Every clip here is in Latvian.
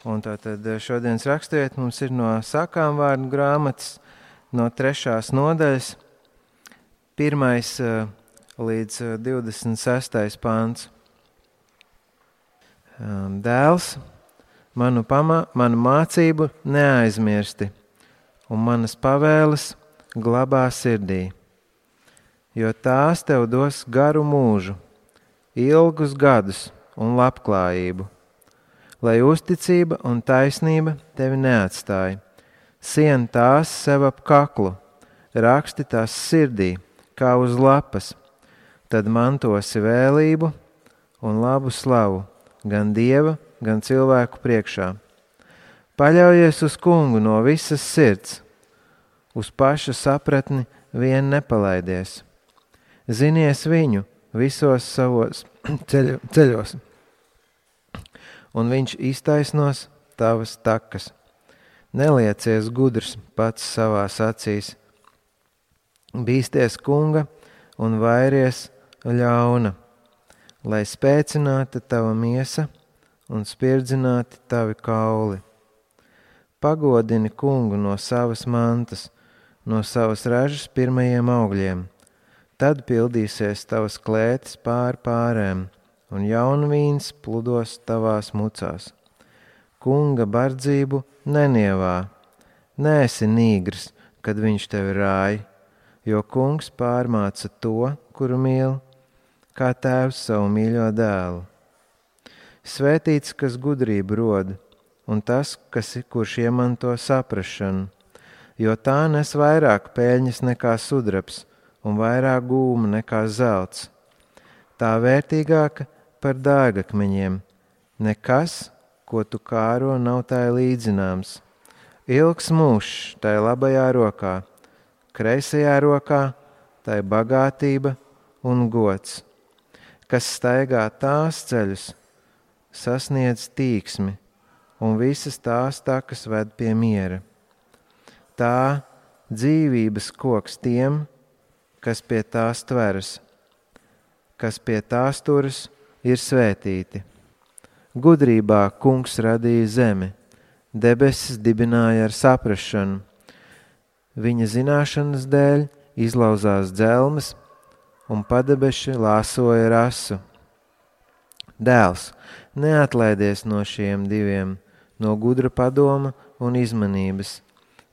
Un tātad šodienas raksturiet mums ir no Sakām vārdu grāmatas, no 3. nodaļas, 1. līdz 26. pāns. Dēls, manu mācību neaizmirsti, un manas pavēles glabā sirdī, jo tās tev dos garu mūžu, ilgus gadus un labklājību, lai uzticība un taisnība tevi neatstāja. Sien tās sev ap kaklu, raksti tās sirdī, kā uz lapas, tad mantosi vēlību un labu slavu, gan Dieva, gan cilvēku priekšā. Paļaujies uz Kungu no visas sirds, uz pašu sapratni vien nepalaidies. Zinies viņu visos savos ceļos, un viņš iztaisnos tavas takas. Neliecies gudrs pats savās acīs. Bīsties Kunga un vairies ļauna, lai spēcināta tava miesa un spirdzināti tavi kauli. Pagodini Kungu no savas mantas, no savas ražas pirmajiem augļiem. Tad pildīsies tavas klētis pār pārēm, un jaunvīns pludos tavās mucās. Kunga bardzību nenievā, neesi nīgrs, kad viņš tevi rāj, jo Kungs pārmāca to, kuru mīl, kā tēvs savu mīļo dēlu. Svētīts, kas gudrību rod, un tas, kurš iemanto saprašanu, jo tā nes vairāk peļņas nekā sudrabs un vairāk gūma nekā zelts. Tā vērtīgāka par dārgakmeņiem, nekas, ko tu kāro, nav tai līdzināms. Ilgs mūžs tai labajā rokā, kreisajā rokā tai bagātība un gods. Kas staigā tās ceļus, sasniedz tīksmi, un visas tās takas ved pie miera. Tā dzīvības koks tiem, kas pie tās tveras, kas pie tās turas, ir svētīti. Gudrībā Kungs radīja zemi, debesis dibināja ar saprašanu. Viņa zināšanas dēļ izlauzās dzelmes, un padebeši lāsoja rasu. Dēls, neatlaidies no šiem diviem, no gudra padoma un izmanības.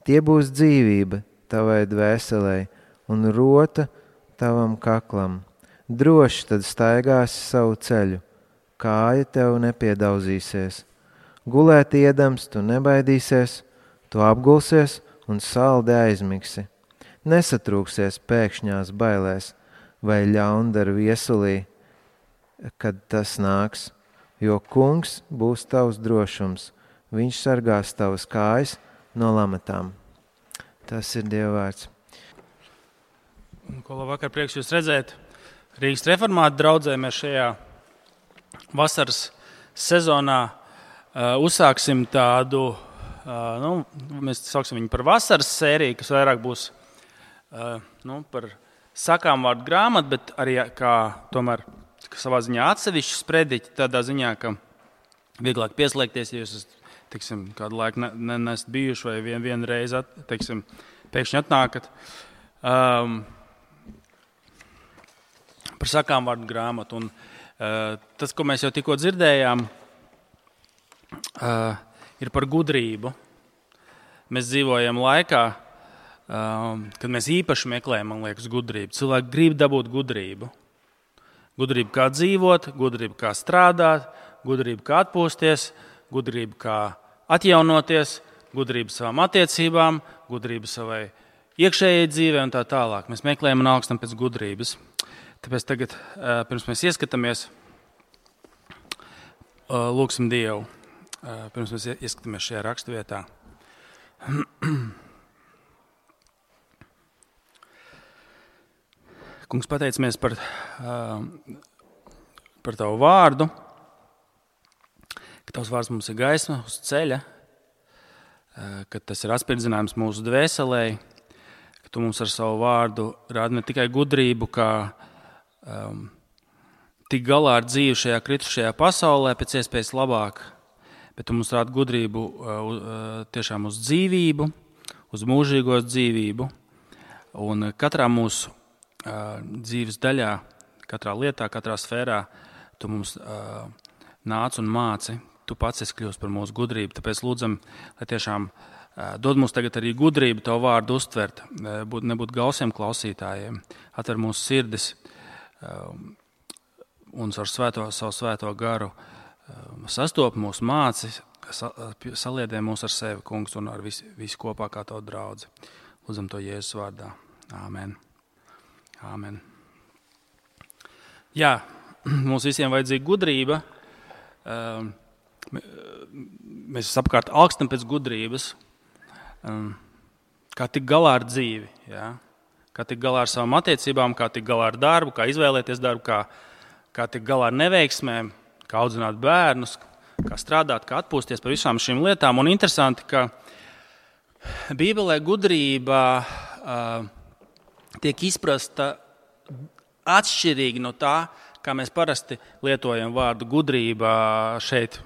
Tie būs dzīvība tavai dvēselei un rota tavam kaklam. Droši tad staigāsi savu ceļu, kāja tev nepiedauzīsies. Gulēt iedams tu nebaidīsies, tu apgulsies un saldi aizmigsi. Nesatrūksies pēkšņās bailēs vai ļaundaru viesulī, kad tas nāks, jo Kungs būs tavs drošums, viņš sargās tavas kājas no lamatām. Tas ir Dieva vārds. Ko labvakar, prieks jūs redzēt. Rīgas reformātu draudzē mēs šajā vasaras sezonā uzsāksim tādu, mēs sauksim viņu par vasaras sēriju, kas vairāk būs par Sakām vārdu grāmatu, bet arī kā tomēr savā ziņā atsevišķi sprediķi, tādā ziņā, ka vieglāk pieslēgties, ja jūs esat, kādu laiku nesat bijuši vai vienreiz, pēkšņi atnākat. Par Sakām vārdu grāmatu. Un, tas, ko mēs jau tikko dzirdējām, ir par gudrību. Mēs dzīvojam laikā, kad mēs īpaši meklējam, man liekas, gudrību. Cilvēki grib dabūt gudrību. Gudrību kā dzīvot, gudrību kā strādāt, gudrību kā atpūsties, gudrību kā atjaunoties, gudrību savām attiecībām, gudrību savai iekšējai dzīvē un tā tālāk. Mēs meklējam un augstam pēc gudrības. Tāpēc tagad, pirms mēs ieskatāmies, lūgsim Dievu, pirms mēs ieskatāmies šajā raksturvietā. Kungs, pateicamies par tavu vārdu, ka tavs vārds mums ir gaisma uz ceļa, ka tas ir atspirdzinājums mūsu dvēselē, ka tu mums ar savu vārdu rādi ne tikai gudrību, kā tik galā ar dzīvi šajā kritušajā pasaulē pēc iespējas labāk, bet tu mums rādi gudrību tiešām uz dzīvību, uz mūžīgo dzīvību. Un katrā mūsu dzīves daļā, katrā lietā, katrā sfērā tu mums nāc un māci. Tu pats esi kļūst par mūsu gudrību. Tāpēc lūdzam, lai tiešām dod mums tagad arī gudrību tavu vārdu uztvert, nebūt gausiem klausītājiem, atver mūsu sirdis un ar savu svēto garu sastop mūsu māci, saliedē mūs ar sevi, kungs, un ar visu kopā kā tavu draudzi. Lūdzam to Jēzus vārdā. Āmen. Āmen. Jā, mums visiem vajadzīga gudrība. Mēs apkārt augstam pēc gudrības. Kā tikt galā ar dzīvi, jā? Kā tikt galā ar savām attiecībām, kā tikt galā ar darbu, kā izvēlēties darbu, kā tikt galā ar neveiksmēm, kā audzināt bērnus, kā strādāt, kā atpūsties par visām šīm lietām. Un interesanti, ka Bībelē gudrība tiek izprasta atšķirīgi no tā, kā mēs parasti lietojam vārdu gudrība šeit,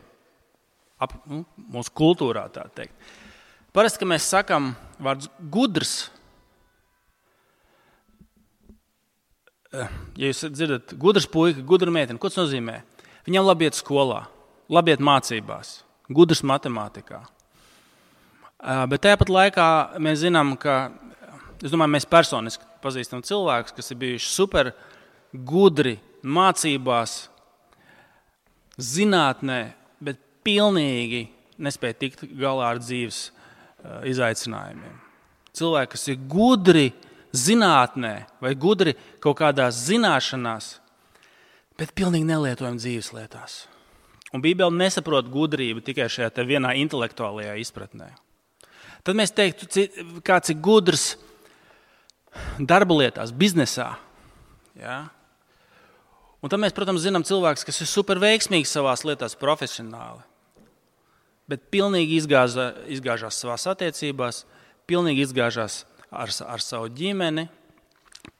mūsu kultūrā, tā teikt. Parasti, kad mēs sakam vārds gudrs, ja jūs dzirdat gudrs puika, gudra meitene, ko tas nozīmē? Viņam labi iet skolā, labi iet mācībās, gudrs matemātikā. Bet tāpat laikā mēs zinām, ka, es domāju, mēs personiski pazīstam cilvēkus, kas ir bijuši super gudri mācībās, zinātnē, bet pilnīgi nespēja tikt galā ar dzīves izaicinājumiem. Cilvēki, kas ir gudri zinātnē vai gudri kaut kādās zināšanās, bet pilnīgi nelietojam dzīves lietās. Un Bībele nesaprot gudrību tikai šajā te vienā intelektuālajā izpratnē. Tad mēs teiktu, kāds ir gudrs darba lietās, biznesā. Ja? Un tad mēs, protams, zinām cilvēkus, kas ir super veiksmīgi savās lietās profesionāli, bet pilnīgi izgāžās savās attiecībās, pilnīgi izgāžās ar savu ģimeni,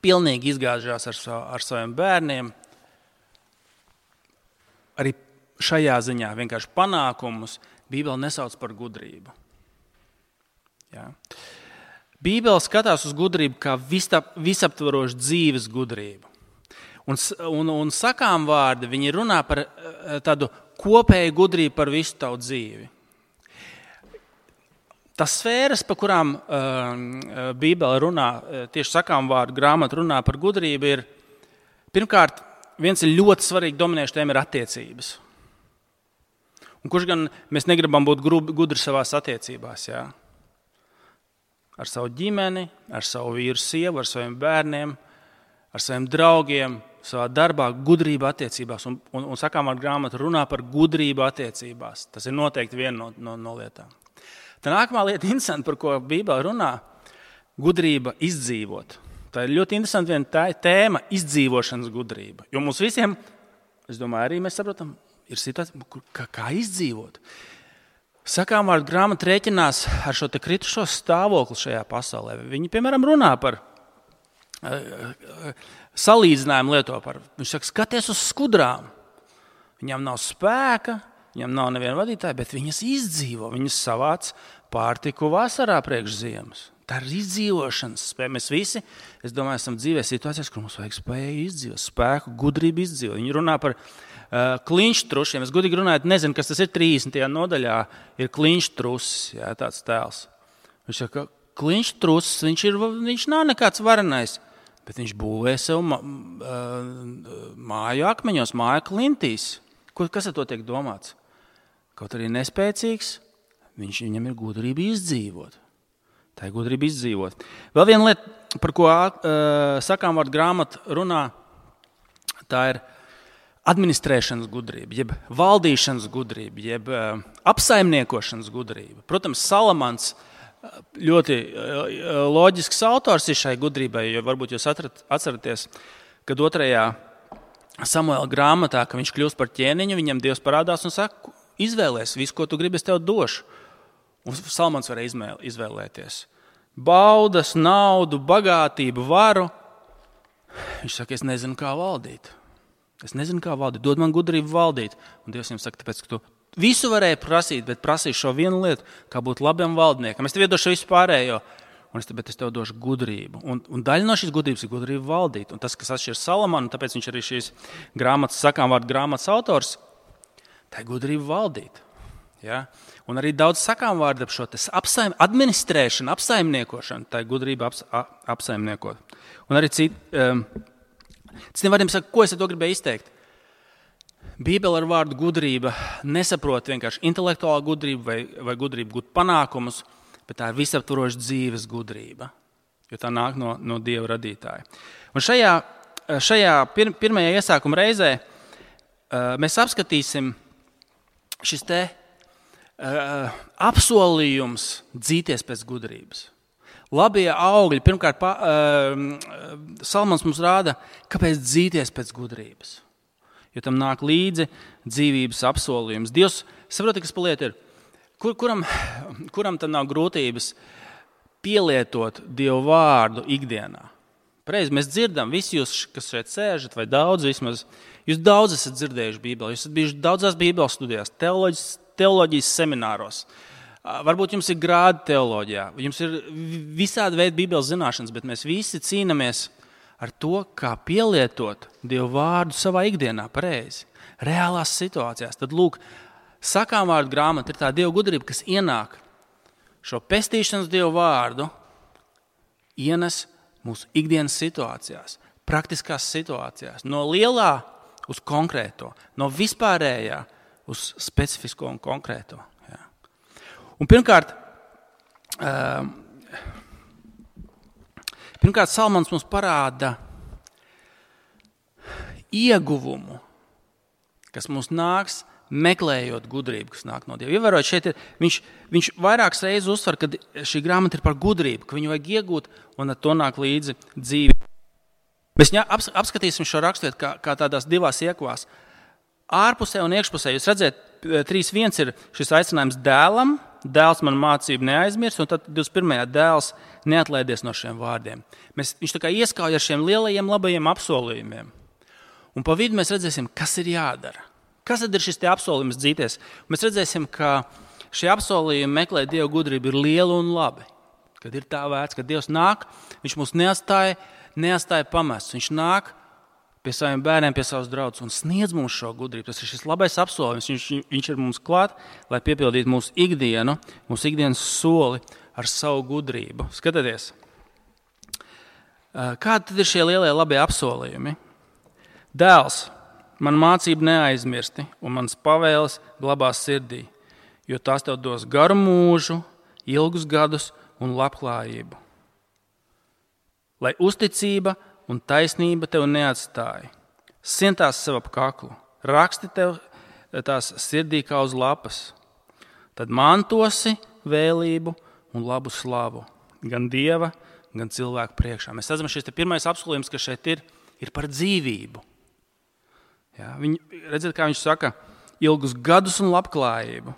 pilnīgi izgāžās ar saviem bērniem. Arī šajā ziņā vienkārši panākumus Bībele nesauc par gudrību. Ja? Bībele skatās uz gudrību kā visaptvarošu dzīves gudrību. Un sakām vārdi, viņi runā par tādu kopēju gudrību par visu tavu dzīvi. Tas sfēras, par kurām Bībele runā, tieši sakām vārdu grāmata runā par gudrību, ir pirmkārt, viens ir ļoti svarīgi dominējuši tēma ir attiecības. Un kurš gan mēs negribam būt gudri savās attiecībās, jā? Ar savu ģimeni, ar savu vīru sievu, ar saviem bērniem, ar saviem draugiem, savā darbā, gudrība attiecībās. Un sakām vārdu grāmata runā par gudrību attiecībās. Tas ir noteikti viena no lietām. Tā nākamā lieta, interesanti, par ko Bībele runā, gudrība izdzīvot. Tā ir ļoti interesanti viena tēma, izdzīvošanas gudrība. Jo mums visiem, es domāju, arī mēs saprotam, ir situācija, kā izdzīvot. Sakām vārdu grāmata rēķinās ar šo te kritušo stāvokli šajā pasaulē. Viņi, piemēram, runā par salīdzinājumu lieto par. Viņš saka, skaties uz skudrām. Viņam nav spēka, viņam nav neviena vadītāja, bet viņas izdzīvo. Viņas savāc pārtiku vasarā priekš ziemas. Tā ir izdzīvošanas spēja. Mēs visi, es domāju, esam dzīvē situācijās, kur mums vajag spēju izdzīvot, spēku, gudrību izdzīvot. Viņi runā par kliņštrušiem. Es gudīgi runāju, nezinu, kas tas ir 30. nodaļā, ir kliņštrusis, jā, tāds tēls. Viņš saka, kliņštrusis, viņš nav nekāds varenais, bet viņš būvē sev māju akmeņos, māju klintīs. Kas ar to tiek domāts? Kaut arī nespēcīgs, viņam ir gudrība izdzīvot. Tā ir gudrība izdzīvot. Vēl viena lieta, par ko sakām vārdu grāmata runā, tā ir administrēšanas gudrība, jeb valdīšanas gudrība, jeb apsaimniekošanas gudrība. Protams, Salamans ļoti loģisks autors ir šai gudrībai, jo varbūt jūs atceraties, kad 2. Samuela grāmatā, ka viņš kļūst par ķēniņu, viņam Dievs parādās un saka, izvēlēs visu, ko tu gribi, es tev došu. Un Salamans varēja izvēlēties baudas, naudu, bagātību, varu. Viņš saka, es nezinu, kā valdīt. Es nezinu, kā valdīt. Dod man gudrību valdīt. Un Dievs viņam saka, tāpēc, ka tu visu varēja prasīt, bet prasīju šo vienu lietu, kā būt labiem valdniekam. Es tev iedošu visu pārējo, bet es tev došu gudrību. Un daļa no šīs gudrības ir gudrība valdīt. Un tas, kas atšķiras Salamanu, tāpēc viņš arī šīs grāmatas, sakām vārdu grāmatas autors, tā ir gudrība valdīt. Ja? Un arī daudz sakām vārdu ap šo administrēšanu, apsaimniekošanu, tā ir gudrība apsaimniekot. Un arī citiem vārdiem saka, ko es ar to gribēju izteikt. Bībele ar vārdu gudrība nesaprot vienkārši intelektuālu gudrību vai gudrību gūt panākumus, bet tā ir visaptvaroša dzīves gudrība, jo tā nāk no Dieva radītāja. Un šajā pirmajā iesākuma reizē mēs apskatīsim šis te apsolījums dzīties pēc gudrības. Labie augļi, pirmkārt, Salmans mums rāda, kāpēc dzīties pēc gudrības. Jo tam nāk līdzi dzīvības apsolījums. Dievs saprot, kas paliet ir. Kuram tam nav grūtības pielietot Dievu vārdu ikdienā? Pareizi, mēs dzirdam, visi jūs, kas šeit sēžat, vai daudz vismaz, jūs daudz esat dzirdējuši Bībeli, jūs esat bijuši daudzās Bībeles studijās, teoloģijas semināros. Varbūt jums ir grādi teoloģijā, jums ir visādi veidi Bībeles zināšanas, bet mēs visi cīnāmies ar to, kā pielietot Dievu vārdu savā ikdienā pareizi, reālās situācijās. Tad, lūk, sakām vārdu grāmata ir tā Dieva gudrība, kas ienāk šo pestīšanas Dievu vārdu, ienes mūsu ikdienas situācijās, praktiskās situācijās, no lielā uz konkrēto, no vispārējā uz specifisko un konkrēto. Jā. Un pirmkārt, Salmans mums parāda ieguvumu, kas mums nāks meklējot gudrību, kas nāk no Dieva. Ievērojot, šeit viņš vairākas reizes uzsver, ka šī grāmata ir par gudrību, ka viņu vajag iegūt un ar to nāk līdzi dzīve. Mēs apskatīsim šo raksturvietu kā tādās divās iekavās. Ārpusē un iekšpusē. Jūs redzat, 3.1 ir šis aicinājums dēlam. Dēls man mācību neaizmirst, un tad 21. dēls neatlaidies no šiem vārdiem. Viņš tā kā ieskauj ar šiem lielajiem labajiem apsolījumiem. Un pa vidu mēs redzēsim, kas ir jādara. Kas tad ir šis te apsolījums dzīties? Mēs redzēsim, ka šie apsolījumi meklēt Dieva gudrību ir lieli un labi. Kad ir tā vērts, kad Dievs nāk, viņš mūs neatstāja pamests. Viņš nāk pie saviem bērniem, pie savas draudzes un sniedz mums šo gudrību. Tas ir šis labais apsolījums. Viņš ir mums klāt, lai piepildītu mūsu ikdienas soli ar savu gudrību. Skatieties, kādi tad ir šie lielie labie apsolījumi? Dēls, man mācību neaizmirsti un manas pavēles glabās sirdī, jo tās tev dos garu mūžu, ilgus gadus un labklājību. Lai uzticība un taisnība tev neatstāja. Sien tās sev ap kaklu, raksti tev tās sirdī kā uz lapas. Tad mantosi vēlību un labu slavu, gan Dieva, gan cilvēku priekšā. Mēs redzam, šis pirmais apsolījums, kas šeit ir par dzīvību. Ja, redziet, kā viņš saka, ilgus gadus un labklājību.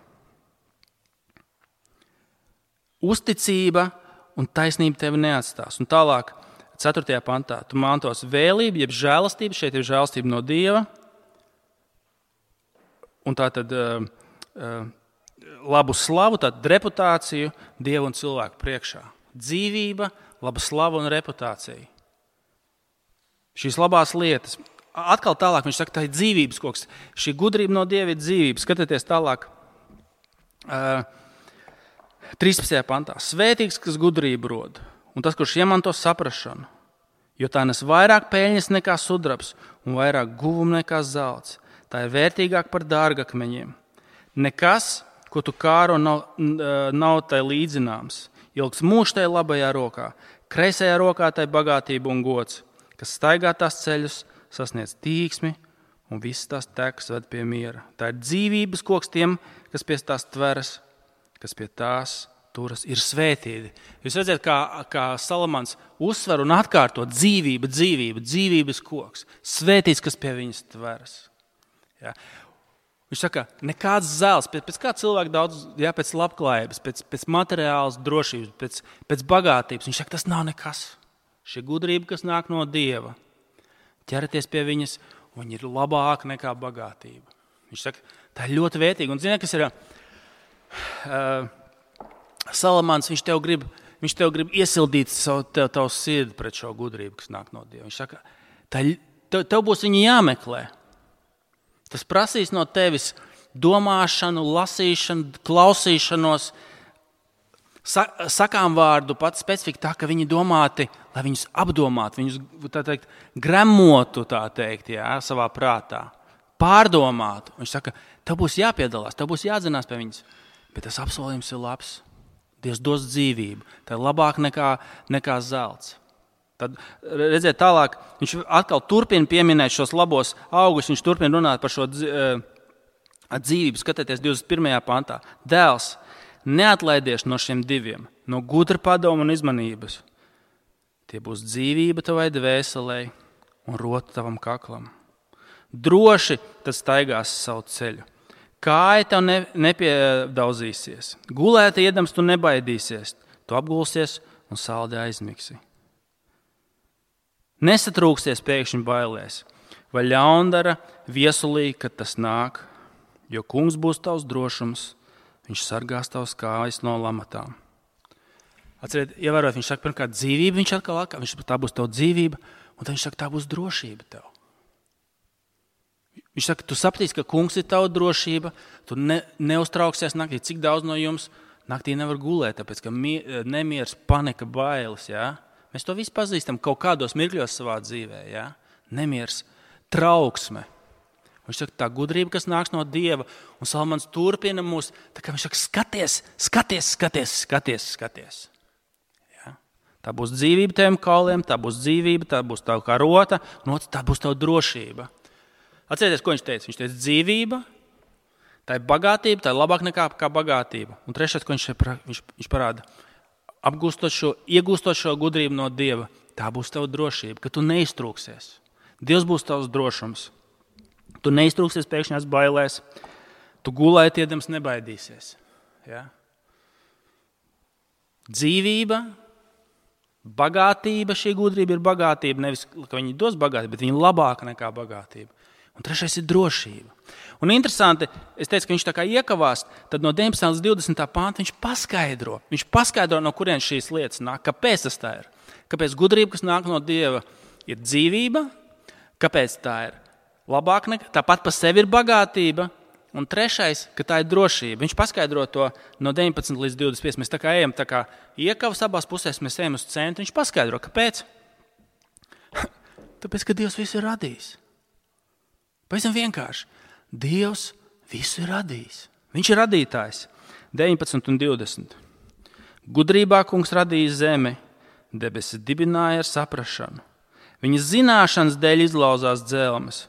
Uzticība un taisnība tevi neatstās. Un tālāk, 4. pantā, tu mantos vēlību, jeb žēlastību, šeit ir žēlastība no Dieva, un tātad labu slavu, tātad reputāciju Dievu un cilvēku priekšā. Dzīvība, laba slava un reputācija. Šīs labās lietas. Atkal tālāk viņš saka, tā ir dzīvības koks. Šī gudrība no Dieva ir dzīvība. Skatieties tālāk. 13. pantā. Svētīgs, kas gudrību rod, un tas, kurš iemanto saprašanu, jo tā nes vairāk peļņas nekā sudrabs un vairāk guvumu nekā zelts. Tā ir vērtīgāk par dārgakmeņiem. Nekas, ko tu kāro, nav tai līdzināms. Ilgs mūžs tai labajā rokā, kreisajā rokā tai bagātība un gods, kas staigā tās ceļus, sasniedz tīksmi un visas tās tekas ved pie miera. Tā ir dzīvības koks tiem, kas pie tās tveras, kas pie tās turas, ir svētīti. Jūs redzat, kā Salamans uzsver un atkārto dzīvības koks. Svētīts, kas pie viņas tveras. Ja. Viņš saka, nekāds zelts, pēc kā cilvēki daudz, pēc labklājības, pēc materiālas drošības, pēc bagātības. Viņš saka, tas nav nekas. Šī gudrība, kas nāk no Dieva. Ķeraties pie viņas, un viņa ir labāka nekā bagātība. Viņš saka, Tā ir ļoti vērtīga. Un zini, kas ir Salamāns, viņš tev grib iesildīt tavu sirdi pret šo gudrību, kas nāk no Dieva. Viņš saka, tev būs viņu jāmeklē. Tas prasīs no tevis domāšanu, lasīšanu, klausīšanos, sakām vārdu pats specifika tā, ka viņi domāti, lai viņus apdomātu, viņus tā teikt, gremotu tā teikt, savā prātā, pārdomātu. Viņš saka, tev būs jāpiedalās, tev būs jāatzinās pie viņas, bet tas apsolījums ir labs. Dievs dos dzīvību, tā ir labāk nekā zelts. Tad, redziet, tālāk, viņš atkal turpina pieminēt šos labos augus, viņš turpina runāt par šo dzīvību. Skatieties 21. pantā. Dēls, neatlaidies no šiem diviem, no gudra padoma un izmanības. Tie būs dzīvība tavai dvēselei un rota tavam kaklam. Droši tas staigās savu ceļu. Kāja tev nepiedauzīsies. Gulēt iedams tu nebaidīsies. Tu apgulsies un saldi aizmigsi. Nesatrūksies pēkšņi bailēs. Vai ļaundara viesulī, kad tas nāk, jo kungs būs tavs drošums, viņš sargās tavs kājas no lamatām. Atceriet, ievērot, viņš saka, pirmkārt dzīvība, viņš atkal, tā būs tava dzīvība, un tad viņš saka, tā būs drošība tev. Viņš saka, tu sapratīsi, ka kungs ir tava drošība, tu neuztrauksies naktī, cik daudz no jums naktī nevar gulēt, tāpēc, ka nemieris, panika, bailes, Mēs to visu pazīstam kaut kādos mirkļos savā dzīvē, Nemieris, trauksme. Viņš saka, tā gudrība, kas nāks no Dieva, un Salamans turpina mūs, tā kā viņš saka, skaties. Tā būs dzīvība teviem kauliem, tā būs dzīvība, tā būs tava kā rota, un tā būs tava drošība. Atcerieties, ko viņš teica? Viņš teica dzīvība, tā ir bagātība, tā ir labāk nekā bagātība. Un trešais, ko viņš parāda, iegūstot šo gudrību no Dieva, tā būs tava drošība, ka tu neiztrūksies. Dievs būs tavs drošums. Tu neiztrūksies pēkšņās bailēs, tu gulēt iedams nebaidīsies. Dzīvība, bagātība, šī gudrība ir bagātība, nevis, ka viņi dos bagātību, bet viņi labāka nekā bagātība. Un trešais ir drošība. Un interesanti, es teicu, ka viņš tā kā iekavās, tad no 19. līdz 20. pānta viņš paskaidro, no kurien šīs lietas nāk, kāpēc tas tā ir. Kāpēc gudrība, kas nāk no Dieva, ir dzīvība, kāpēc tā ir labāk nekā, tāpat pa sevi ir bagātība, un trešais, ka tā ir drošība. Viņš paskaidro to no 19 līdz 25. Mēs tā kā ejam, tā kā iekavas abās pusēs, mēs ejam uz centru, viņš paskaidro, kāpēc? Tāpēc, ka Dievs visu ir radījis. Pavisam vienkārši. Dievs visu ir radījis. Viņš ir radītājs. 19 un 20. Gudrībā kungs radīja zemi, debesis dibināja ar saprašanu. Viņa zināšanas dēļ izlauzās dzelmes,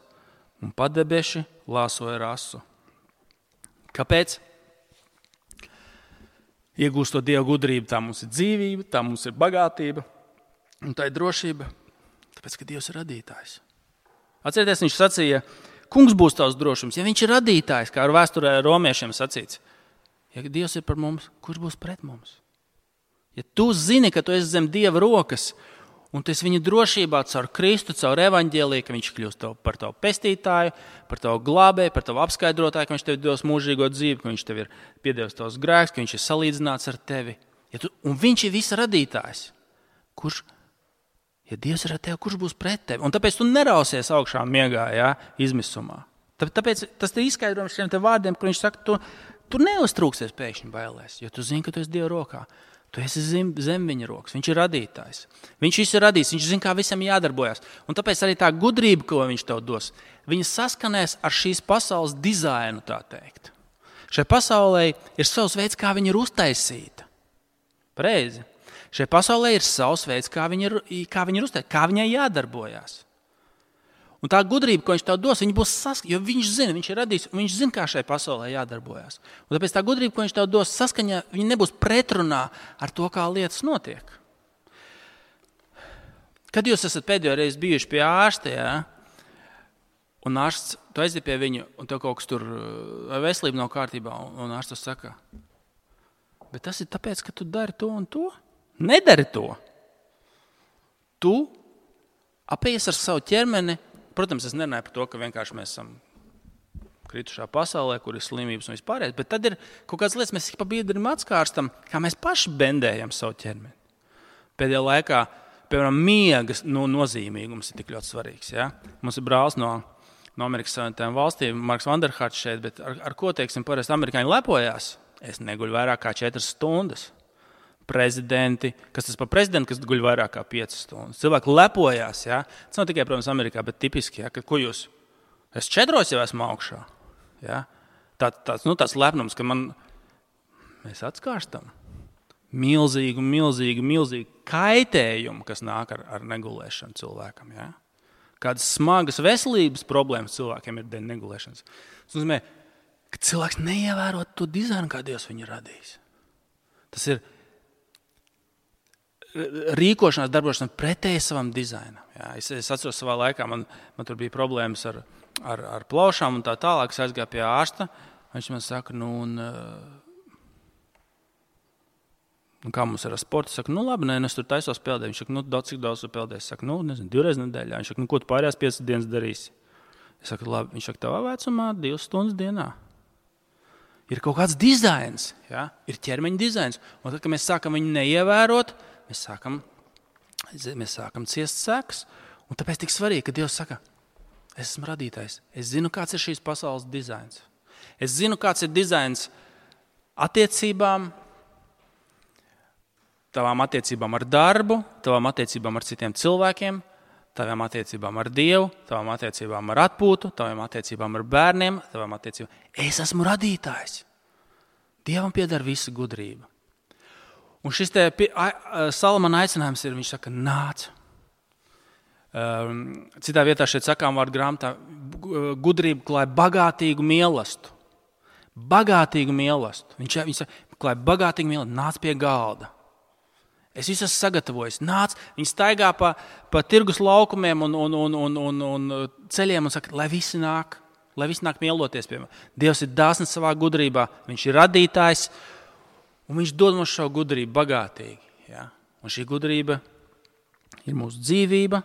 un padebeši lāsoja rasu. Kāpēc? Iegūstot Dieva gudrību, tā mums ir dzīvība, tā mums ir bagātība, un tā ir drošība, tāpēc, ka Dievs ir radītājs. Atcerieties, viņš sacīja, kungs būs tavs drošums. Ja viņš ir radītājs, kā ar vēsturē romiešiem sacīts, ja Dievs ir par mums, kurš būs pret mums? Ja tu zini, ka tu esi zem Dieva rokas, un tu esi viņa drošībā caur Kristu, caur evaņģēliju, ka viņš kļūst par tavu pestītāju, par tavu glābēju, par tavu apskaidrotāju, ka viņš tev dos mūžīgo dzīvi, ka viņš tev ir piedevis tavs grēks, ka viņš ir salīdzināts ar tevi. Un viņš ir visa radītājs. Ja Dievs ir ar tevi, kurš būs pret tevi? Un tāpēc tu nerausies augšā miegā, izmisumā. Tāpēc tas ir izskaidrojums šiem te vārdiem, kur viņš saka, tu neuztrūksies pēkšņi bailēs, jo tu zini, ka tu esi Dieva rokā. Tu esi zem viņa rokas, viņš ir radītājs. Viņš visu ir radījis, viņš zina, kā visam jādarbojas. Un tāpēc arī tā gudrība, ko viņš tev dos, viņa saskanēs ar šīs pasaules dizainu, tā teikt. Šai pasaulē ir savs veids, kā viņa ir uztaisīta. Pareizi. Šai pasaulē ir savs veids, kā viņa ir uztaisīta, kā viņai jādarbojas. Un tā gudrība, ko viņš tev dos, viņa būs saskaņā, jo viņš zina, viņš ir radījis, un viņš zina, kā šai pasaulē jādarbojas. Un tāpēc tā gudrība, ko viņš tev dos saskaņā, viņa nebūs pretrunā ar to, kā lietas notiek. Kad jūs esat pēdējo reizi bijuši pie ārsta, un ārsts, tu aiziet pie viņu, un tev kaut kas tur veselība nav kārtībā, un ārsts saka, bet tas ir tāpēc, ka tu dari to un to? Nedari to. Tu apējies ar savu ķermeni. Protams, es nerunāju par to, ka vienkārši mēs esam kritušā pasaulē, kur ir slimības un vispārējais. Bet tad ir kaut kādas lietas, mēs pa biedrim atskārstam, kā mēs paši bendējam savu ķermeni. Pēdējā laikā, piemēram, miegas nozīmīgums ir tik ļoti svarīgs. Ja? Mums ir brālis no Amerikas Savienotajām valstīm, Marks Vanderharts šeit, bet ar ko, teiksim, parasti amerikāņi lepojās? Es neguļu vairāk kā 4 stundas. Prezidenti, kas tas par prezidentu, kas guļ vairāk kā 5 stundas. Cilvēki lepojās. Ja? Tas nav tikai, protams, Amerikā, bet tipiski, ja? Ko jūs? Es 4 jau esmu augšā. Ja? Tāds lepnums, ka mēs atskārstam milzīgu kaitējumu, kas nāk ar negulēšanu cilvēkam. Ja? Kādas smagas veselības problēmas cilvēkiem ir dēļ negulēšanas. Tas nozīmē, ka cilvēks neievēro to dizainu, kā Dievs viņu radījis. Tas ir rīkošanās, darbošanās pretēji savam dizainam. Ja? Es atceros savā laikā, man tur bija problēmas ar plaušām un tā tālāk. Es aizgāju pie ārsta. Viņš man saka, kā mums ir ar sportu? Es saku, labi, es tur taisos peldēt. Viņš saka, cik daudz tu peldēsi? Es saku, 2 reizes nedēļā. Viņš saka, ko tu pārējās 5 dienas darīsi? Es saku, labi. Viņš saka, tavā vecumā 2 stundas dienā. Ir kaut kāds dizains, ja? Ir ķermeņa dizains. Un tad, kad mēs sākam viņu neievērot, mēs sākam ciest sekas. Un tāpēc tik svarīgi, ka Dievs saka, es esmu radītājs. Es zinu, kāds ir šīs pasaules dizains. Es zinu, kāds ir dizains attiecībām, tavām attiecībām ar darbu, tavām attiecībām ar citiem cilvēkiem, tavām attiecībām ar Dievu, tavām attiecībām ar atpūtu, tavām attiecībām ar bērniem, tavām attiecībām. Es esmu radītājs. Dievam pieder visa gudrība. Un šis Salamana aicinājums ir, viņš saka, nāc. Citā vietā šeit sakām vārdu grāmatā, gudrība klāja bagātīgu mielastu. Bagātīgu mielastu. Viņš saka, klāja bagātīgu mielastu, nāc pie galda. Es visu esmu sagatavojis. Nāc, viņi staigā pa tirgus laukumiem un ceļiem un saka, lai visi nāk mieloties pie mums. Dievs ir dāsns savā gudrībā, viņš ir radītājs un viņš dod mums šo gudrību bagātīgi. Ja? Un šī gudrība ir mūsu dzīvība,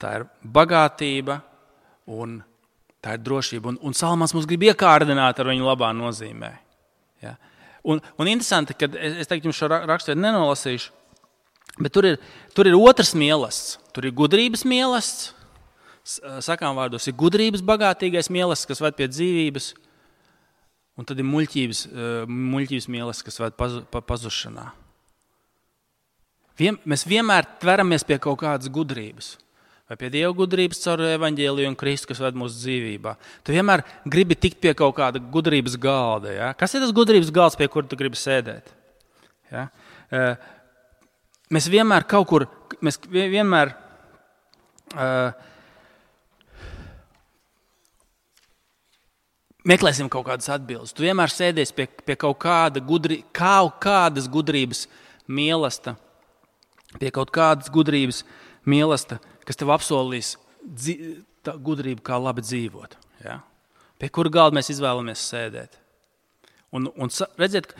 tā ir bagātība un tā ir drošība. Un Salamans mums grib iekārdināt ar viņu labā nozīmē. Ja? Un interesanti, ka es teiktu, jums šo raksturu nenolasīšu, bet tur ir otrs mielasts. Tur ir gudrības mielasts, sakām vārdos, ir gudrības bagātīgais mielasts, kas ved pie dzīvības, un tad ir muļķības mielasts, kas ved pazušanā. Mēs vienmēr tveramies pie kaut kādas gudrības. Vai pie Dieva gudrības caur evaņģēliju un Kristu, kas ved mūsu dzīvībā. Tu vienmēr gribi tikt pie kaut kāda gudrības galda. Ja? Kas ir tas gudrības galds, pie kura tu gribi sēdēt? Ja? Mēs vienmēr meklēsim kaut kādas atbildes. Tu vienmēr sēdies pie kaut kādas gudrības mielasta, pie kaut kādas gudrības mielasta, kas tev apsolīs gudrību, kā labi dzīvot. Ja? Pie kura galda mēs izvēlamies sēdēt. Un redziet,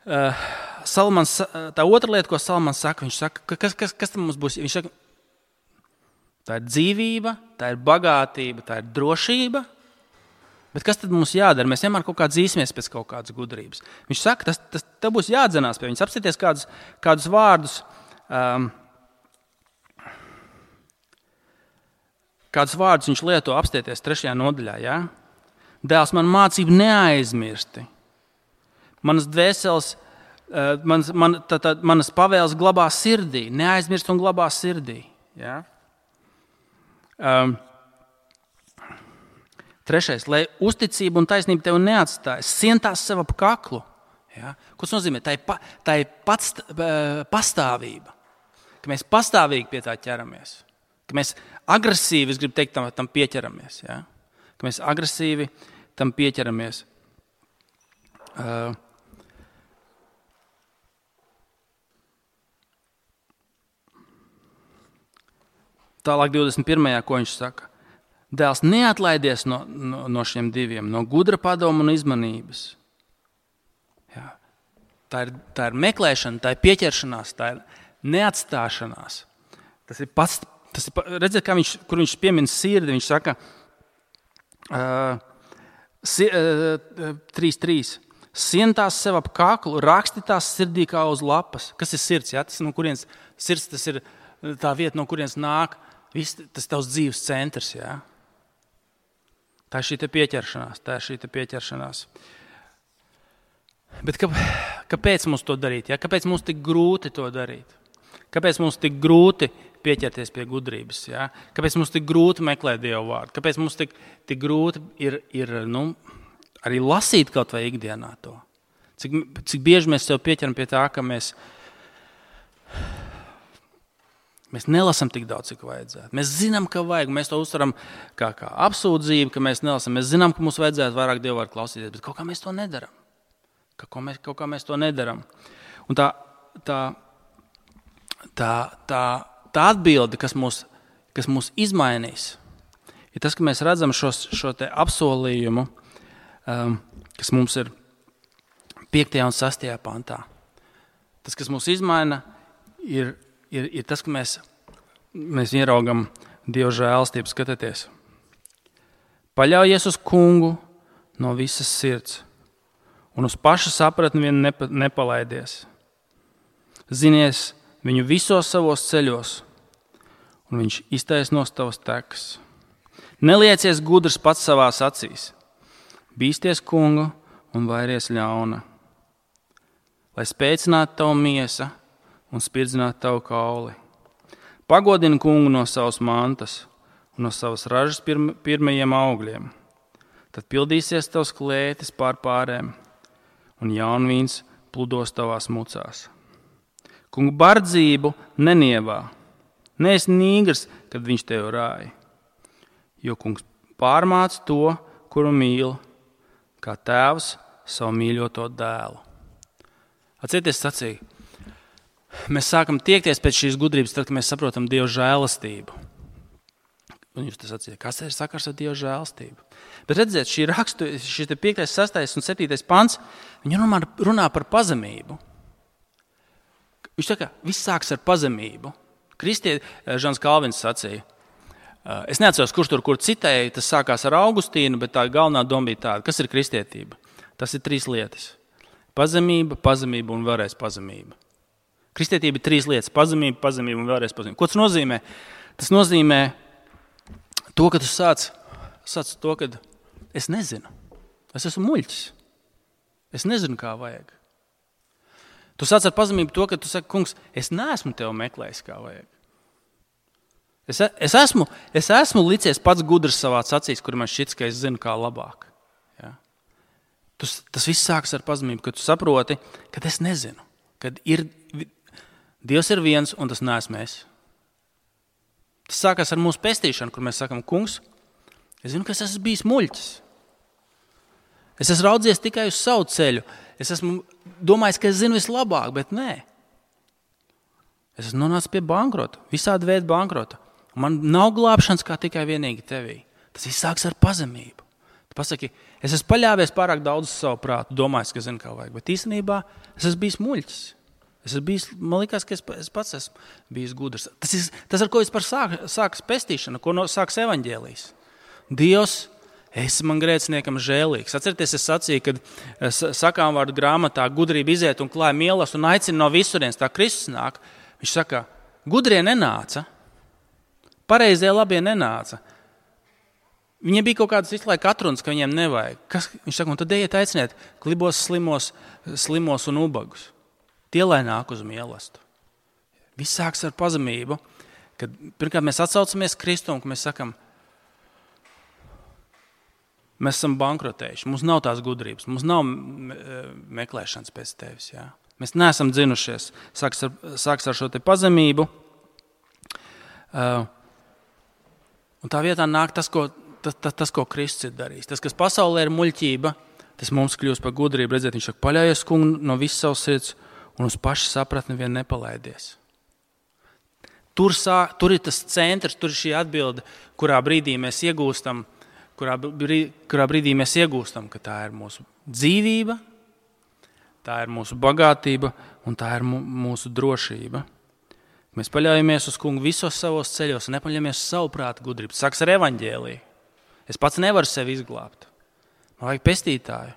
tā otra lieta, ko Salamans saka, viņš saka, kas tam mums būs? Viņš saka, tā ir dzīvība, tā ir bagātība, tā ir drošība. Bet kas tad mums jādara? Mēs vienmēr kaut kā dzīsimies pēc kaut kādas gudrības. Viņš saka, tev būs jādzenās pie viņas. Apsieties kādus vārdus, kādus vārdus viņš lieto apstieties 3. nodaļā. Ja? Dēls, man mācību neaizmirsti. Manas dvēseles, manas pavēles glabā sirdī. Neaizmirst un glabā sirdī. Ja? 3. Lai uzticība un taisnība tevi neatstāja. Sien tās sev ap kaklu. Ja? Ko tas nozīmē? Tā ir pastāvība. Ka mēs pastāvīgi pie tā ķeramies. Ka mēs agresīvi, es gribu teikt, tam pieķeramies. Ja? Ka mēs agresīvi tam pieķeramies. Tālāk 21. ko viņš saka. Dēls, neatlaidies no šiem diviem, no gudra padoma un izmanības. Ja? Tā ir meklēšana, tā ir pieķeršanās, tā ir neatstāšanās. Tas ir pats. Redziet, kur viņš piemin sirdi, viņš saka, 3.3. Sien tās sev ap kaklu, raksti tās sirdī kā uz lapas. Kas ir sirds? Ja? Tas, no kurienes, sirds tas ir tā vieta, no kurienes nāk. Tas ir tavs dzīves centrs. Ja? Tā ir šī te pieķeršanās. Bet kāpēc mums to darīt? Ja? Kāpēc mums tik grūti to darīt? Kāpēc mums tik grūti pieķerties pie gudrības? Ja? Kāpēc mums tik grūti meklēt Dievu vārdu? Kāpēc mums tik grūti ir arī lasīt kaut vai ikdienā to? Cik bieži mēs sev pieķeram pie tā, ka mēs nelasam tik daudz, cik vajadzētu. Mēs zinām, ka vajag, mēs to uztveram kā apsūdzību, ka mēs nelasam. Mēs zinām, ka mums vajadzētu vairāk Dievu vārdu klausīties, bet kaut kā mēs to nedaram. Kaut kā mēs to nedaram. Un tā atbilde, kas mūs izmainīs, ir tas, ka mēs redzam šo te apsolījumu, kas mums ir 5. un 6. pantā. Tas, kas mūs izmaina, ir tas, ka mēs ieraugam Dieva žēlastību. Skatieties. Paļaujies uz Kungu no visas sirds un uz paša sapratni vien nepalaidies. Zinies viņu visos savos ceļos, un viņš iztaisnos tavas tekas. Neliecies gudrs pats savās acīs. Bīsties Kungu un vairies ļauna. Lai spēcinātu tavu miesa un spirdzinātu tavu kauli. Pagodini Kungu no savas mantas un no savas ražas pirmajiem augļiem. Tad pildīsies tavs klētis pār pārēm, un jaunvīns pludos tavās mucās. Kungu bardzību nenievā. Neesi nīgrs, kad viņš tevi rāja. Jo kungs pārmāca to, kuru mīl, kā tēvs savu mīļoto dēlu. Atcerieties sacīja. Mēs sākam tiekties pēc šīs gudrības, tad, kad mēs saprotam Dieva žēlastību. Un jūs tas sacījāt, kas ir sakars ar Dieva žēlastību? Bet redziet, šis 5., 6. un 7. pants, viņi runā par pazemību. Viņš saka, viss sāks ar pazemību. Žans Kalvins sacīja. Es neatceros, kurš kur citēja, tas sākās ar Augustīnu, bet tā galvenā doma bija tāda, kas ir kristietība. Tas ir 3 lietas. Pazemība un vēlreiz pazemība. Kristietība ir 3 lietas. Pazemība un vēlreiz pazemība. Ko tas nozīmē? Tas nozīmē to, ka tu sāc to, ka es nezinu. Es esmu muļķis. Es nezinu, kā vajag. Tu sāc ar pazemību to, ka tu saki, kungs, es neesmu tevi meklējis, kā vajag. Es esmu licies pats gudrs savā acīs, kur man šķits, ka es zinu, kā labāk. Ja? Tas viss sākas ar pazemību, ka tu saproti, ka es nezinu. Kad Dievs ir viens, un tas neesmu es. Tas sākās ar mūsu pestīšanu, kur mēs sakam, kungs, es zinu, ka es esmu bijis muļķis. Es esmu raudzies tikai uz savu ceļu. Es esmu domājis, ka es zinu vislabāk, bet nē. Es esmu nonācis pie bankrota, visādi veidi bankrota. Man nav glābšanas kā tikai vienīgi tevī. Tas viss sāks ar pazemību. Tu pasaki, es esmu paļāvies pārāk daudz uz savu prātu, domājis, ka zinu, kā vajag, bet īstenībā es esmu bijis muļķis. Man likās, ka es pats esmu bijis gudrs. Tas ar ko vispār sākas pestīšana, ko sāks evaņģēlijs. Dievs, esi man grēciniekam žēlīgs. Atcerieties, es sacīju, kad sakām vārdu grāmatā gudrība iziet un klāja mielas un aicina no visurienes, tā Kristus nāk. Viņš saka, gudrie nenāca, pareizie labie nenāca. Viņiem bija kaut kādas visu laiku atrunas, ka viņiem nevajag. Viņš saka, un tad ejiet aiciniet klibos, slimos un ubagus. Tie, lai nāk uz mielastu. Viss sāks ar pazemību, kad pirmkārt mēs atsaucamies Kristu un mēs sakam, mēs esam bankrotējuši, mums nav tās gudrības, mums nav meklēšanas pēc tevis. Jā. Mēs neesam dzinušies. Sāks ar šo te pazemību. Un tā vietā nāk tas, ko Kristus ir darījis. Tas, kas pasaulē ir muļķība, tas mums kļūst par gudrību. Redziet, viņš saka, paļaujies Kungu no visas savas sirds un uz paša sapratni vien nepalaidies. Tur ir tas centrs, tur ir šī atbilde, kurā brīdī mēs iegūstam, ka tā ir mūsu dzīvība, tā ir mūsu bagātība un tā ir mūsu drošība. Mēs paļaujamies uz Kungu visos savos ceļos un nepaļaujamies uz savu prātu gudrību. Sāks ar evaņģēliju. Es pats nevaru sevi izglābt. Man vajag pestītāju.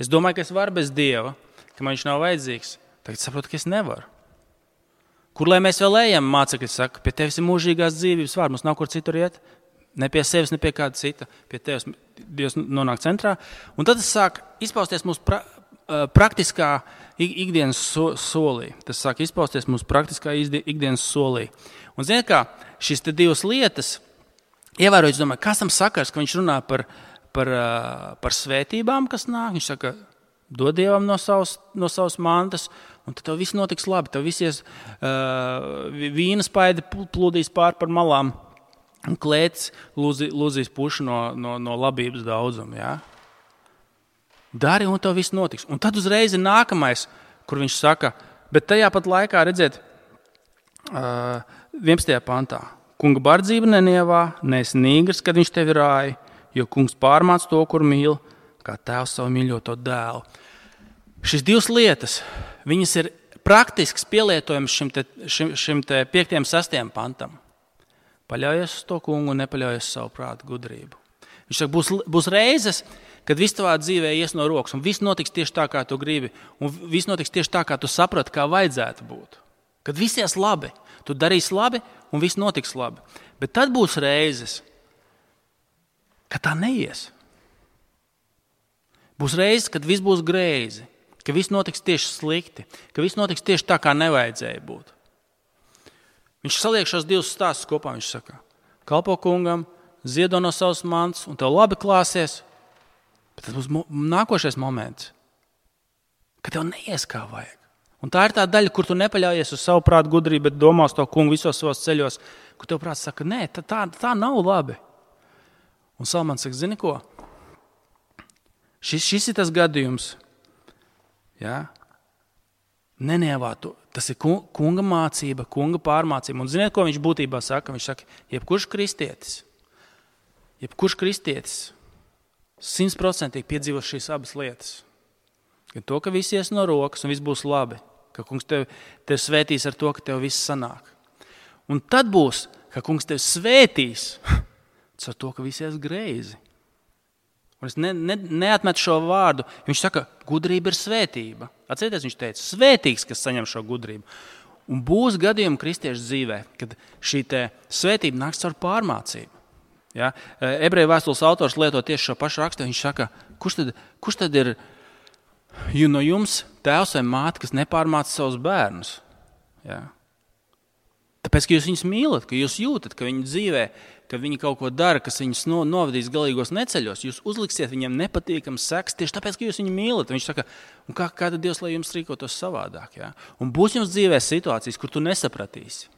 Es domāju, ka es varu bez Dieva, ka man viņš nav vajadzīgs. Tagad saprotu, ka es nevaru. Kur lai mēs vēl ejam, mācekļi saka, pie tevis ir mūžīgās dzīvības vārds, mums nav kur citur iet, ne pie sevis, ne pie kāda cita. Pie tevis Dievs nonāk centrā. Un tad tas sāk izpausties mūsu praktiskā ikdienas solī. Tas sāk izpausties mūsu praktiskā ikdienas solī. Un ziniet kā, šīs te divas lietas, ievērojot, es domāju, kas tam sakars, ka viņš runā par svētībām, kas nāk. Viņš saka, dod Dievam no savas mantas, un tad tev viss notiks labi. Tev visies vīna spaidi plūdīs pār par malām, un klēts lūzīs pušu no labības daudzuma. Ja? Dari, un tev viss notiks. Un tad uzreiz ir nākamais, kur viņš saka, bet tajā pat laikā, redziet, 11. pantā. Kunga bardzība nenievā, neesi nīgrs, kad viņš tevi rāja, jo kungs pārmāc to, kur mīl, kā tēvs savu mīļoto dēlu. Šīs divas lietas, viņas ir praktisks pielietojums šim 5. 6. pantam. Paļaujies uz to kungu un nepaļaujies uz savu prātu gudrību. Viņš saka, būs reizes, kad viss tavā dzīvē ies no rokas, un viss notiks tieši tā, kā tu gribi, un viss notiks tieši tā, kā tu saproti, kā vajadzētu būt. Kad viss ies labi, tu darīsi labi, un viss notiks labi. Bet tad būs reizes, kad tā neies. Būs reizes, kad viss būs greizi, ka viss notiks tieši slikti, ka viss notiks tieši tā, kā nevajadzēja būt. Viņš saliek šos divus stāstus kopā. Viņš saka, kalpo kungam, ziedo no savas mantas, un tev labi klāsies. Bet tas būs nākošais moments, kad tev neies kā vajag. Un tā ir tā daļa, kur tu nepaļaujies uz savu prātu gudrību, bet domā uz to kungu visos savos ceļos, kur tev prāts saka, nē, tā nav labi. Un Salmans saka, zini ko? Šis ir tas gadījums. Ja? Nenievā tu. Tas ir kunga mācība, kunga pārmācība. Un ziniet, ko viņš būtībā saka? Viņš saka, jebkurš kristietis 100% piedzīvo šīs abas lietas. Gan to, ka viss ies no rokas un viss būs labi. Ka kungs tev svētīs ar to, ka tev viss sanāk. Un tad būs, ka kungs tev svētīs ar to, ka viss ies greizi. Un es neatmetu šo vārdu. Viņš saka, gudrība ir svētība. Atcerieties, viņš teica, svētīgs, kas saņem šo gudrību. Un būs gadījumi kristiešu dzīvē, kad šī svētība nāks caur pārmācību. Ja? Ebreju vēstules autors lieto tieši šo pašu rakstu. Viņš saka, kurš tad ir no jums tēvs vai māte, kas nepārmāca savus bērnus? Ja? Tāpēc, ka jūs viņus mīlat, ka jūs jūtat, ka viņi dzīvē, ka viņi kaut ko dara, kas viņus novadīs galīgos neceļos, jūs uzliksiet viņiem nepatīkams seks tieši tāpēc, ka jūs viņu mīlat. Viņš saka, un kā tad Dievs, lai jums rīkotos savādāk? Ja? Un būs jums dzīvē situācijas, kur tu nesapratīsi,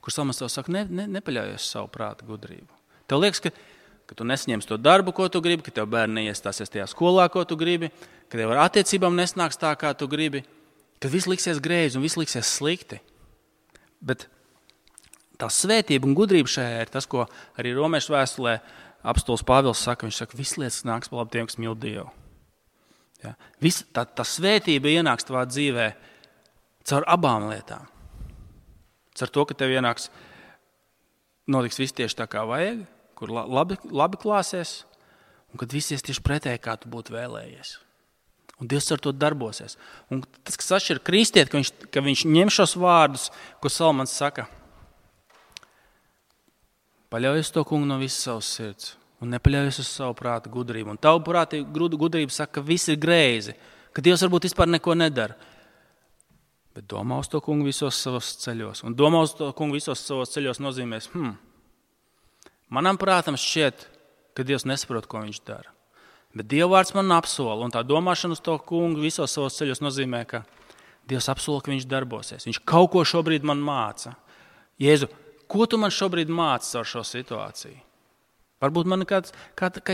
kur Salmans tev saka, nepaļaujies savu prātu gudrību. Tev liekas, ka tu nesaņemsi to darbu, ko tu gribi, ka tev bērni neiestāsies tajā skolā, ko tu gribi, ka tev ar attiecībām nesnāks tā, kā tu gribi, ka viss liksies greizi un viss liksies slikti. Bet tā svētība un gudrība šajā ir tas, ko arī Romiešu vēstulē apostols Pāvils saka. Viņš saka, viss lietas nāks par labu tiem, kas mīl Dievu. Ja? Tā svētība ienāks tavā dzīvē caur abām lietām. Caur to, ka tev notiks viss tieši tā, kā vajag, kur labi klāsies, un kad viss ies tieši pretēji, kā tu būtu vēlējies. Un Dievs ar to darbosies. Un tas, kas atšķir kristieti, ka viņš ņem šos vārdus, ko Salmans saka, paļaujies to kungu no visas savas sirds un nepaļaujies uz savu prātu gudrību. Un tavu prātu gudrību saka, ka viss ir greizi, ka Dievs varbūt vispār neko nedara. Bet domā uz to kungu visos savos ceļos. Un domā uz to kungu visos savos ceļos nozīmēs, manam prātam šķiet, ka Dievs nesaprot, ko viņš dara. Bet Dieva vārds man apsola, un tā domāšana uz to kungu visos savos ceļos nozīmē, ka Dievs apsola, ka viņš darbosies. Viņš kaut ko šobrīd man māca. Jēzu, ko tu man šobrīd māci ar šo situāciju? Varbūt man ka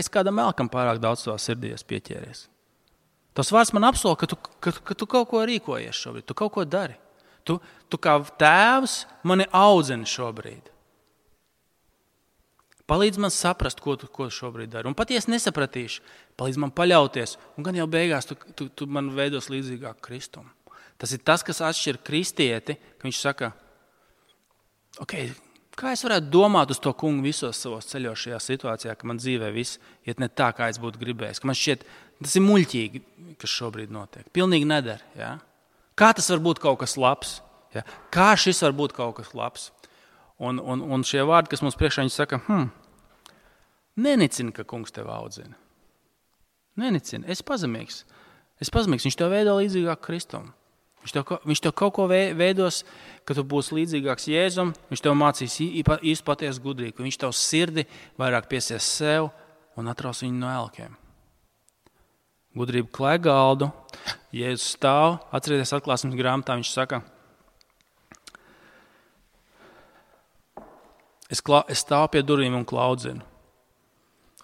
es kādam melkam pārāk daudz savā sirdī pieķēries. Tas vārds man apsola, ka tu kaut ko rīkojies šobrīd, tu kaut ko dari. Tu kā tēvs mani audzini šobrīd. Palīdz man saprast, ko tu šobrīd dari. Un pat ja es nesapratīšu, palīdz man paļauties. Un gan jau beigās tu man veidos līdzīgāk Kristum. Tas ir tas, kas atšķir kristieti, ka viņš saka, ok, Kā es varētu domāt uz to kungu visos savos ceļos šajā situācijā, ka man dzīvē viss iet ne tā, kā es būtu gribējis? Ka man šķiet, tas ir muļķīgi, kas šobrīd notiek. Pilnīgi neder. Ja? Kā tas var būt kaut kas labs? Ja? Kā šis var būt kaut kas labs? Un šie vārdi, kas mums priekšā, viņi saka, nenicini, ka kungs tev audzina. Nenicini, esi pazemīgs. Viņš tev veido līdzīgāk Kristum. Viņš tev kaut ko veidos, ka tu būsi līdzīgāks Jēzum, viņš tev mācīs īstu patiesu gudrību, ka viņš tev sirdi vairāk piesies sev un atraus viņu no elkiem. Gudrība klāj galdu, Jēzus stāv, atcerieties atklāsmes grāmatā, viņš saka, es stāvu pie durvīm un klaudzinu,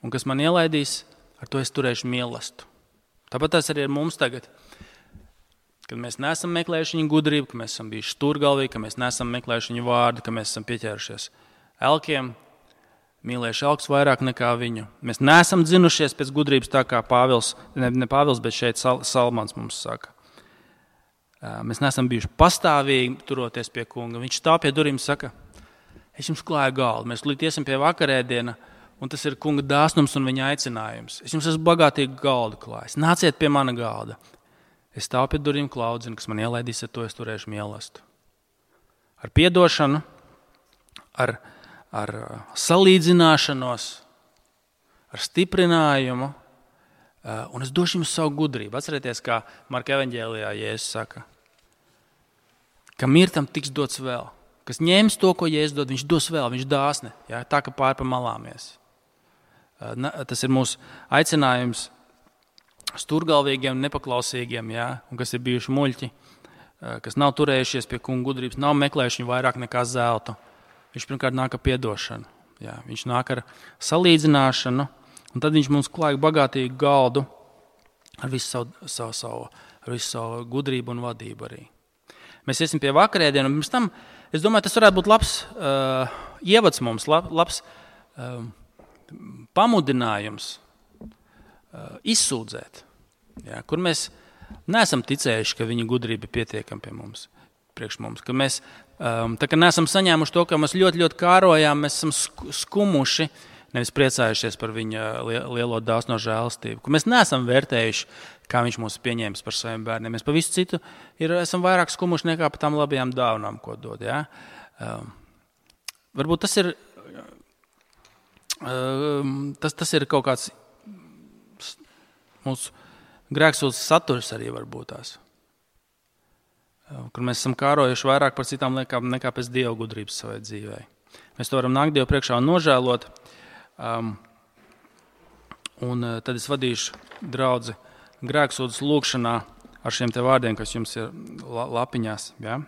un kas man ielaidīs, ar to es turēšu mīlestību. Tāpat tas arī ir mums tagad. Kad mēs neesam meklējuši viņa gudrību, ka mēs esam bijuši stūrgalvīgi, ka mēs neesam meklējuši viņa vārdu, ka mēs esam pieķērušies elkiem, mīlējuši elks vairāk nekā viņu. Mēs neesam dzinušies pēc gudrības tā kā Pāvils, ne Pāvils, bet šeit Salmans mums saka. Mēs neesam bijuši pastāvīgi turoties pie kunga. Viņš stāv pie durvīm un saka, es jums klāju galdu, mēs līdz iesim pie vakarēdiena, un tas ir kunga dāsnums un viņa aicinājums. Es jums esmu bagātīgi galdu klājis, nāciet pie mana galda. Es stāvu pie durvīm klaudzinu, kas man ielaidīs, ar to es turēšu mīlestību. Ar piedošanu, ar salīdzināšanos, ar stiprinājumu, un es došu jums savu gudrību. Atcerieties, kā Marka evaņģēlijā Jēzus saka, ka mirtam tiks dots vēl. Kas ņems to, ko Jēzus dod, viņš dos vēl, viņš dāsne, ja? Tā, ka pār pa malāmies. Tas ir mūsu aicinājums stūrgalvīgiem, nepaklausīgiem, ja? Un kas ir bijuši muļķi, kas nav turējušies pie kunga gudrības, nav meklējuši viņu vairāk nekā zeltu. Viņš pirmkārt nāk ar piedošanu. Ja? Viņš nāk ar salīdzināšanu, un tad viņš mums klāja bagātīgu galdu ar visu savu gudrību un vadību arī. Mēs iesim pie vakarēdienu, un pirms tam, es domāju, tas varētu būt labs ievads mums, labs pamudinājums izsūdzēt, ja, kur mēs neesam ticējuši, ka viņa gudrība ir pietiekama pie mums, priekš mums, ka mēs tā kā neesam saņēmuši to, ka mēs ļoti, ļoti kārojām, mēs esam skumuši, nevis priecājušies par viņa lielo dāsno žēlastību, ka mēs neesam vērtējuši, kā viņš mūs pieņēmis par saviem bērniem. Mēs pa visu citu esam vairāk skumuši nekā par tām labajām dāvanām, ko dod. Ja? Varbūt tas ir, tas ir kaut kāds mūsu grēksūdzes saturs arī varbūt tās, kur mēs esam kārojuši vairāk par citām lietām nekā pēc Dieva gudrības savai dzīvē. Mēs to varam nākt Dievu priekšā un nožēlot, un tad es vadīšu draudzi grēksūdzes lūkšanā ar šiem te vārdiem, kas jums ir lapiņās. Ja?